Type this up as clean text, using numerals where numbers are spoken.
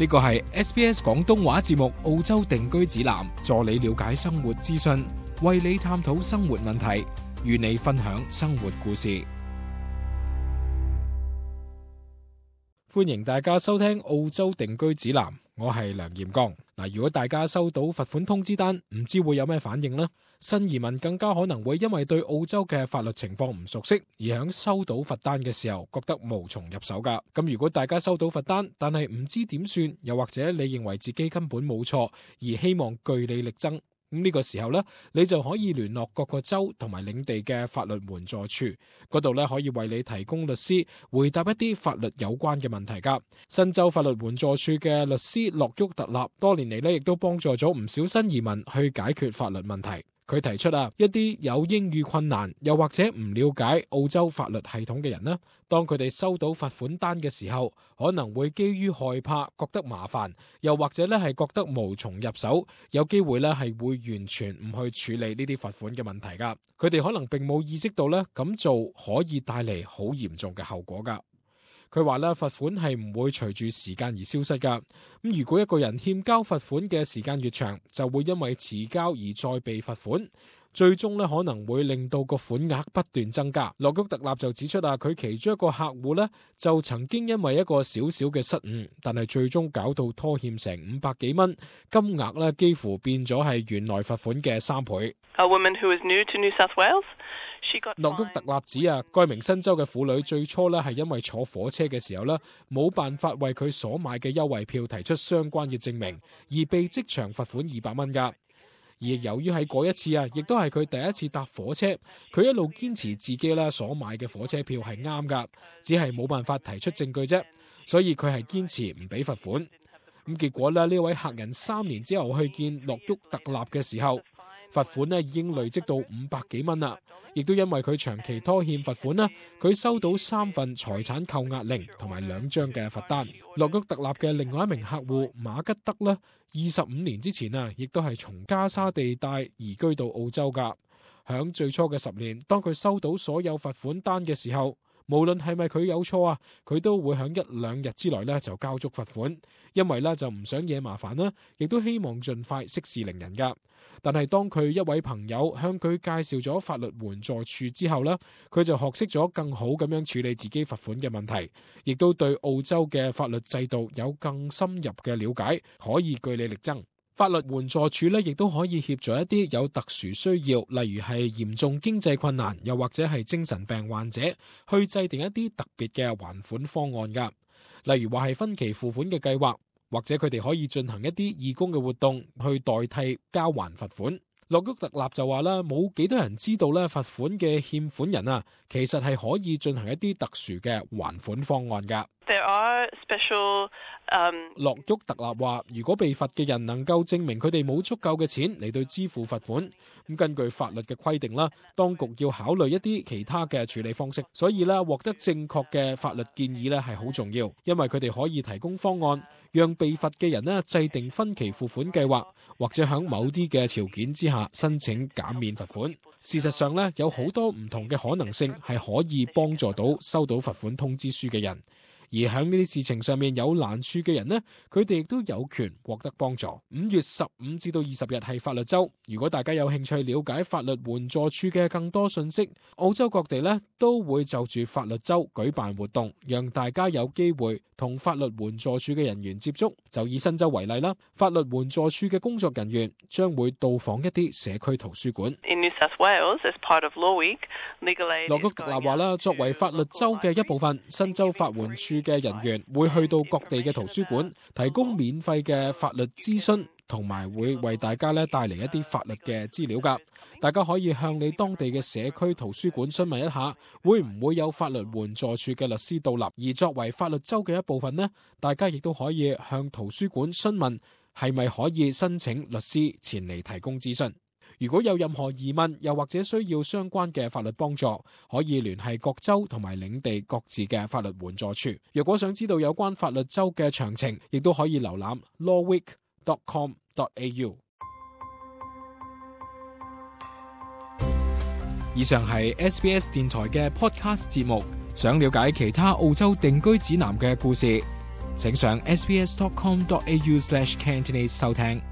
呢個係 SBS 廣東話節目澳洲定居指南，助你了解生活資訊，為你探討生活問題，與你分享生活故事。歡迎大家收聽澳洲定居指南，我係梁炎剛。如果大家收到罰款通知單，唔知會有咩反應呢？新移民更加可能會因為對澳洲嘅法律情況唔熟悉，而喺收到罰單嘅時候覺得無從入手㗎。咁如果大家收到罰單，但係唔知點算，又或者你認為自己根本冇錯，而希望據理力爭，咁呢個時候呢，你就可以聯絡各個州同埋領地嘅法律援助處，嗰度呢可以為你提供律師回答一啲法律有關嘅問題㗎。新州法律援助處嘅律師洛沃特納多年嚟呢亦都幫助咗唔少新移民去解決法律問題。佢提出一啲有英語困難又或者唔了解澳洲法律系統嘅人呢，當佢哋收到罰款單嘅時候，可能會基於害怕覺得麻煩，又或者係覺得無從入手，有機會係會完全唔去處理呢啲罰款嘅問題㗎。佢哋可能並冇意識到咁做可以帶嚟好嚴重嘅後果㗎。佢話罰款係唔會隨住時間而消失㗎。咁如果一個人欠交罰款嘅時間越長，就會因為遲交而再被罰款，最終可能會令到個款額不斷增加。洛沃特納就指出佢其中一個客戶就曾經因為一個小小嘅失誤，但係最終搞到拖欠成500幾蚊，金額幾乎變咗係原來罰款嘅3倍。A woman who is new to New South Wales.洛沃特納指該名新州嘅婦女最初係因為坐火車嘅時候冇辦法為佢所買嘅優惠票提出相關嘅證明，而被即場罰款200蚊㗎。而由於喺嗰一次亦都係佢第一次搭火車，佢一路堅持自己所買嘅火車票係啱㗎，只係冇辦法提出證據啫，所以佢係堅持唔俾罰款。咁結果呢位客人3年之後去見洛沃特納嘅時候，罰款已經累積到500幾蚊啦，亦都因為佢長期拖欠罰款佢收到3份財產扣押令同埋2張嘅罰單。洛沃特納嘅另外一名客戶馬吉德25年之前亦都係從加沙地帶移居到澳洲噶。響最初嘅10年，當佢收到所有罰款單嘅時候，無論係咪佢有錯佢都會響1-2日之內就交足罰款，因為就唔想惹麻煩亦都希望盡快息事寧人噶。但係當佢一位朋友向佢介紹咗法律援助處之後佢就學識咗更好咁樣處理自己罰款嘅問題，亦都對澳洲嘅法律制度有更深入嘅了解，可以據理力爭。法律援助處亦都可以協助一啲有特殊需要，例如係嚴重經濟困難，又或者係精神病患者，去制定一啲特別嘅還款方案㗎。例如話係分期付款嘅計劃，或者佢哋可以進行一啲義工嘅活動，去代替交還罰款。洛沃特納就話冇幾多人知道罰款嘅欠款人其實係可以進行一啲特殊嘅還款方案㗎。There are special洛沃特納話，如果被罰嘅人能夠證明佢哋冇足夠嘅錢嚟到支付罰款，咁根據法律嘅規定當局要考慮一啲其他嘅處理方式。所以獲得正確嘅法律建議係好重要，因為佢哋可以提供方案，讓被罰嘅人制定分期付款計劃，或者喺某啲嘅條件之下申請減免罰款。事實上有好多唔同嘅可能性係可以幫助到收到罰款通知書嘅人。而喺呢啲事情上面有難處嘅人佢哋亦都有權獲得幫助。5月15至到20日係法律週，如果大家有興趣了解法律援助處嘅更多信息，澳洲各地都會就住法律週舉辦活動，讓大家有機會同法律援助處嘅人員接觸。就以新州為例法律援助處嘅工作人員將會到訪一啲社區圖書館。In New South Wales, as part of Law Week, Legal Aid 洛沃特納話作為法律週嘅一部分，新州法援處嘅人員會去到各地嘅圖書館，提供免費嘅法律諮詢，同埋會為大家帶嚟一啲法律嘅資料㗎。大家可以向你當地嘅社區圖書館詢問一下，會唔會有法律援助處嘅律師到立。而作為法律週嘅一部分大家亦都可以向圖書館詢問係咪可以申請律師前嚟提供諮詢。如果有任何疑問，又或者需要相關嘅法律幫助，可以聯繫各州同埋領地各自嘅法律援助處。若果想知道有關法律州嘅詳情，亦都可以瀏覽 lawweek.com.au。以上係 SBS 電台嘅 podcast 節目。想了解其他澳洲定居指南嘅故事，請上 sbs.com.au/Cantonese 收聽。